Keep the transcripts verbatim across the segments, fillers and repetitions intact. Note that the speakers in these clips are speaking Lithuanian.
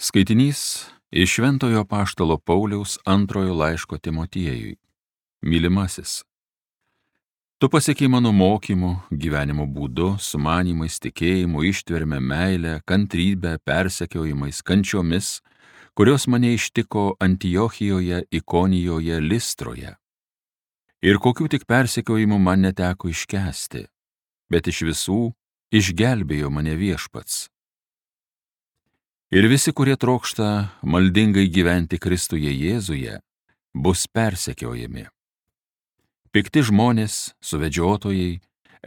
Skaitinys iš Šventojo apaštalo Pauliaus antrojo laiško Timotiejui. Mylimasis, tu pasiekei mano mokymu, gyvenimo būdu, sumanymais, tikėjimu, ištverme, meile, kantrybe, persekiojimais, kančiomis, kurios mane ištiko Antiochijoje, Ikonijoje, Listroje. Ir kokių tik persekiojimų man neteko iškęsti, bet iš visų išgelbėjo mane Viešpats. Ir visi, kurie trokšta maldingai gyventi Kristuje Jėzuje, bus persekiojami. Pikti žmonės, suvedžiotojai,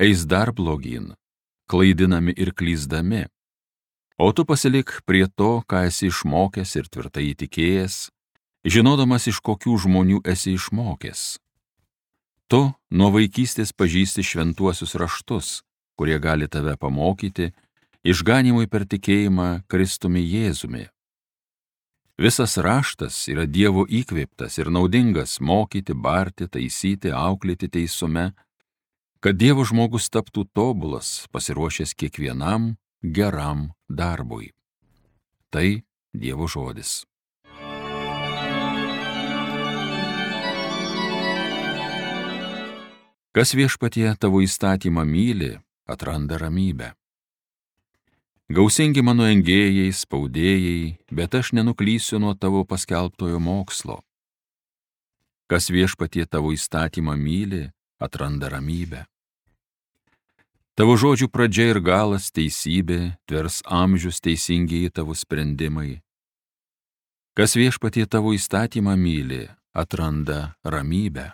eis dar blogyn, klaidinami ir klysdami. O tu pasilik prie to, ką esi išmokęs ir tvirtai įtikėjęs, žinodamas, iš kokių žmonių esi išmokęs. Tu nuo vaikystės pažįsti šventuosius raštus, kurie gali tave pamokyti išganymui per tikėjimą Kristumi Jėzumi. Visas raštas yra Dievo įkvėptas ir naudingas mokyti, barti, taisyti, auklėti teisume, kad Dievo žmogus taptų tobulas, pasiruošęs kiekvienam geram darbui. Tai Dievo žodis. Kas Viešpatie tavo įstatymą myli, atranda ramybę. Gausingi mano engėjai, spaudėjai, bet aš nenuklysiu nuo tavo paskelbtojo mokslo. Kas Viešpatie tavo įstatymą myli, atranda ramybę. Tavo žodžių pradžia ir galas teisybė, tvers amžius teisingieji tavo sprendimai. Kas Viešpatie tavo įstatymą myli, atranda ramybę.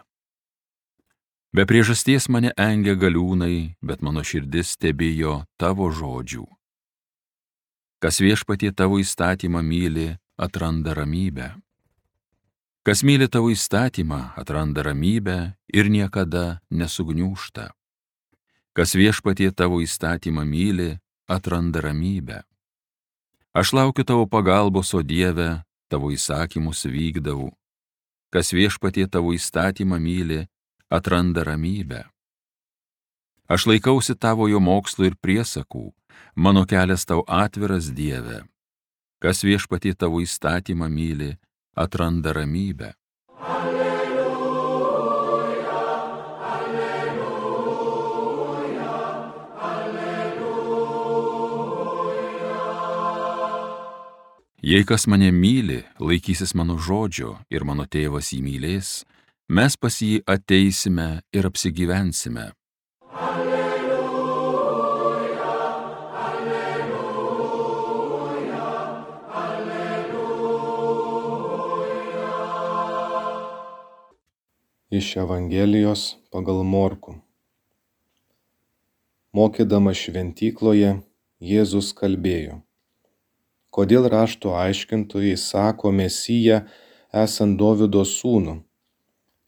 Be priežasties mane engia galiūnai, bet mano širdis tebijo tavo žodžių. Kas Viešpatie tavo įstatymą myli, atranda ramybę. Kas myli tavo įstatymą, atranda ramybę ir niekada nesugniūžta. Kas Viešpatie tavo įstatymą myli, atranda ramybę. Aš laukiu tavo pagalbos, o Dieve, tavo įsakymus vykdau. Kas Viešpatie tavo įstatymą myli, atranda ramybę. Aš laikausi tavojo mokslo ir priesakų, mano kelias tau atviras, Dieve. Kas Viešpatie tavo įstatymą myli, atranda ramybę. Alleluja, alleluja, alleluja. Jei kas mane myli, laikysis mano žodžio ir mano tėvas jį mylės, mes pas jį ateisime ir apsigyvensime. Iš Evangelijos pagal Morkų. Mokydamas šventykloje, Jėzus kalbėjo: Kodėl rašto aiškintojai sako Mesiją esant Dovydo sūnų?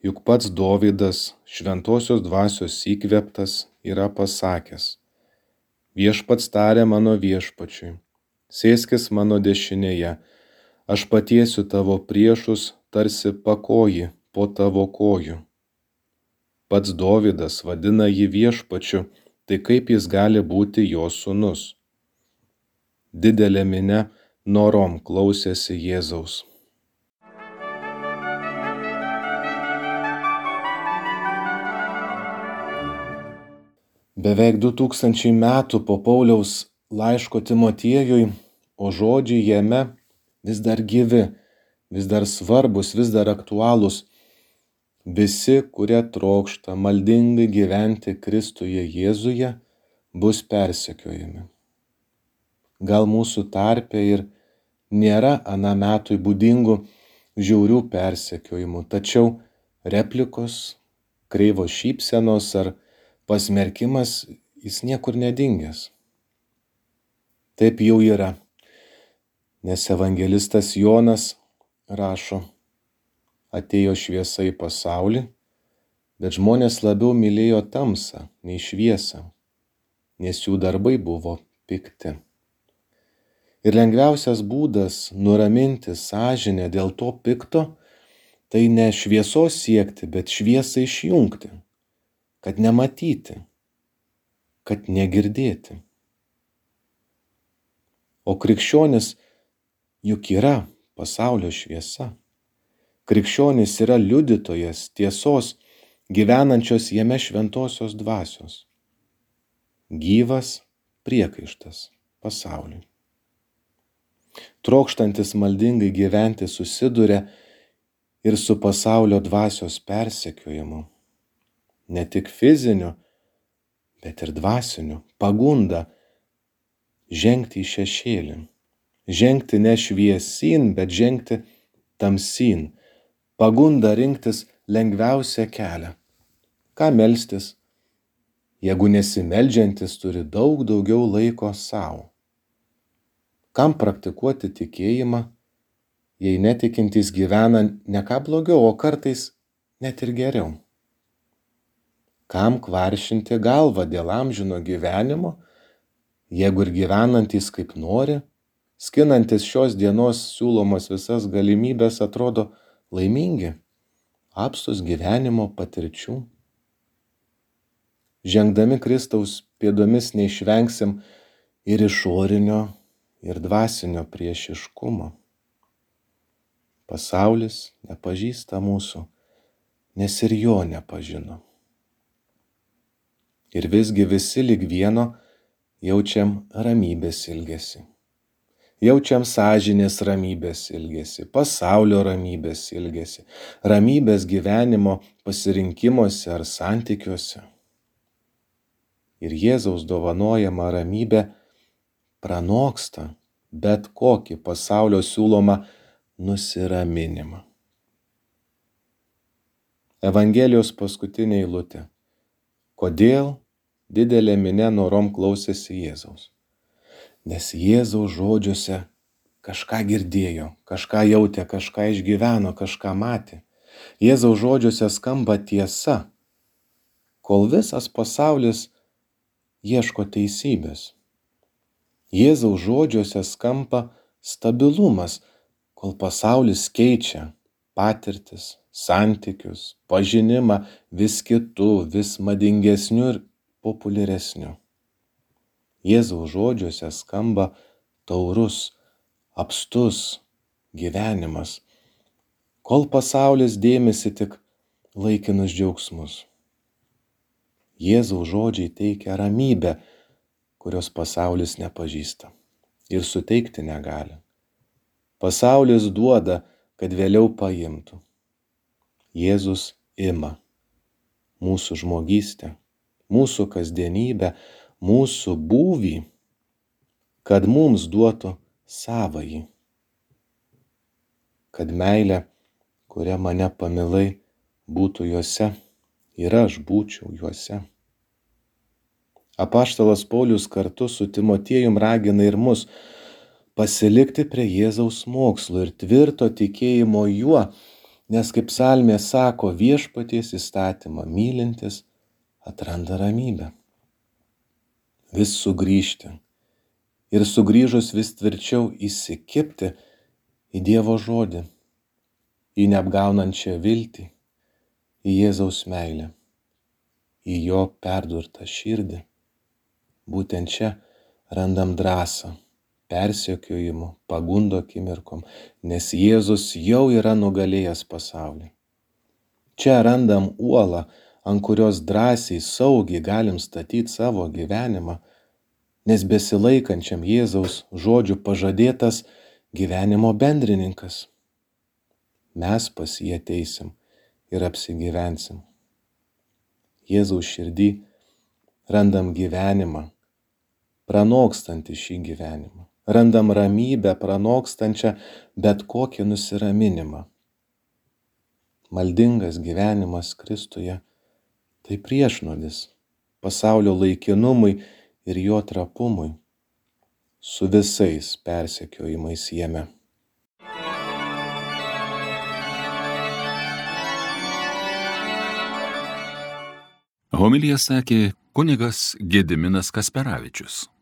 Juk pats Dovydas, šventosios dvasios įkvėptas, yra pasakęs: Viešpats tarė mano viešpačiui, sėskis mano dešinėje, aš patiesiu tavo priešus tarsi pakoji po tavo kojų. Pats Dovydas vadina jį viešpačiu, tai kaip jis gali būti jo sūnus? Didelė minia norom klausėsi Jėzaus. Beveik du tūkstančiai metų po Pauliaus laiško Timotiejui, o žodžiai jame vis dar gyvi, vis dar svarbus, vis dar aktualūs. Visi, kurie trokšta maldingai gyventi Kristuje Jėzuje, bus persekiojami. Gal mūsų tarpe ir nėra aną metui būdingų žiaurių persekiojimų, tačiau replikos, kreivos šypsenos ar pasmerkimas jis niekur nedingęs. Taip jau yra, nes evangelistas Jonas rašo: Atėjo šviesa į pasaulį, bet žmonės labiau mylėjo tamsą nei šviesą, nes jų darbai buvo pikti. Ir lengviausias būdas nuraminti sąžinę dėl to pikto, tai ne šviesos siekti, bet šviesą išjungti, kad nematyti, kad negirdėti. O krikščionis juk yra pasaulio šviesa. Krikščionis yra liudytojas tiesos, gyvenančios jame šventosios dvasios. Gyvas priekaištas pasauliui. Trokštantis maldingai gyventi susiduria ir su pasaulio dvasios persekiojimu. Ne tik fiziniu, bet ir dvasiniu, pagunda žengti į šešėlį. Žengti ne šviesin, bet žengti tamsin. Pagunda rinktis lengviausią kelią. Ką melstis, jeigu nesimeldžiantis turi daug daugiau laiko savo? Kam praktikuoti tikėjimą, jei netikintys gyvena ne ką blogiau, o kartais net ir geriau? Kam kvaršinti galvą dėl amžino gyvenimo, jeigu ir gyvenantys kaip nori, skinantis šios dienos siūlomas visas galimybės atrodo laimingi, apstus gyvenimo patirčių? Žengdami Kristaus pėdomis neišvengsim ir išorinio, ir dvasinio priešiškumo. Pasaulis nepažįsta mūsų, nes ir jo nepažino. Ir visgi visi lyg vieno jaučiam ramybės ilgesį. Jaučiam sąžinės ramybės ilgesį, pasaulio ramybės ilgesį, ramybės gyvenimo pasirinkimuose ar santykiuose. Ir Jėzaus dovanojama ramybė pranoksta bet kokį pasaulio siūlomą nusiraminimą. Evangelijos paskutinė eilutė. Kodėl didelė minia norom klausėsi Jėzaus? Nes Jėzaus žodžiuose kažką girdėjo, kažką jautė, kažką išgyveno, kažką matė. Jėzaus žodžiuose skamba tiesa, kol visas pasaulis ieško teisybės. Jėzaus žodžiuose skamba stabilumas, kol pasaulis keičia patirtis, santykius, pažinimą vis kitų, vis madingesnių ir populiaresnių. Jėzaus žodžiuose skamba taurus, apstus gyvenimas, kol pasaulis dėmesi tik laikinus džiaugsmus. Jėzaus žodžiai teikia ramybę, kurios pasaulis nepažįsta ir suteikti negali. Pasaulis duoda, kad vėliau paimtų. Jėzus ima mūsų žmogystę, mūsų kasdienybę, mūsų būvį, kad mums duotų savąjį. Kad meilė, kuria mane pamilai, būtų juose ir aš būčiau juose. Apaštalas Paulius kartu su Timotiejum ragina ir mus pasilikti prie Jėzaus mokslo ir tvirto tikėjimo juo, nes kaip psalmė sako, viešpaties įstatymą mylintis atranda ramybę. Vis sugrįžti ir sugrįžus vis tvirčiau įsikibti į Dievo žodį, į neapgaunančią viltį, į Jėzaus meilę, į jo perdurtą širdį. Būtent čia randam drąsą, persekiojimų, pagundo akimirkom, nes Jėzus jau yra nugalėjęs pasaulį. Čia randam uolą, ant kurios drąsiai, saugiai galim statyti savo gyvenimą, nes besilaikančiam Jėzaus žodžių pažadėtas gyvenimo bendrininkas. Mes pas jį ateisim ir apsigyvensim. Jėzaus širdį randam gyvenimą, pranokstantį šį gyvenimą. Randam ramybę, pranokstančią bet kokį nusiraminimą. Maldingas gyvenimas Kristuje tai priešnuodis pasaulio laikinumui ir jo trapumui, su visais persekiojimais jame. Homiliją sakė kunigas Gediminas Kasperavičius.